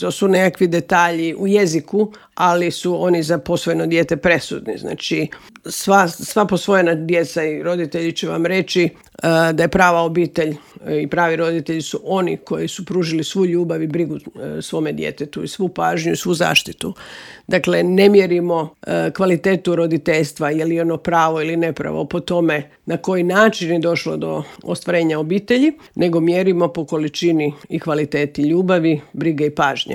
To su nekakvi detalji u jeziku, ali su oni za posvojeno dijete presudni. Znači, sva posvojena djeca i roditelji će vam reći da je prava obitelj i pravi roditelji su oni koji su pružili svu ljubav i brigu svome djetetu i svu pažnju i svu zaštitu. Dakle, ne mjerimo kvalitetu roditeljstva, je li ono pravo ili nepravo po tome na koji način je došlo do ostvarenja obitelji, nego mjerimo po količini i kvaliteti ljubavi, brige i pažnje.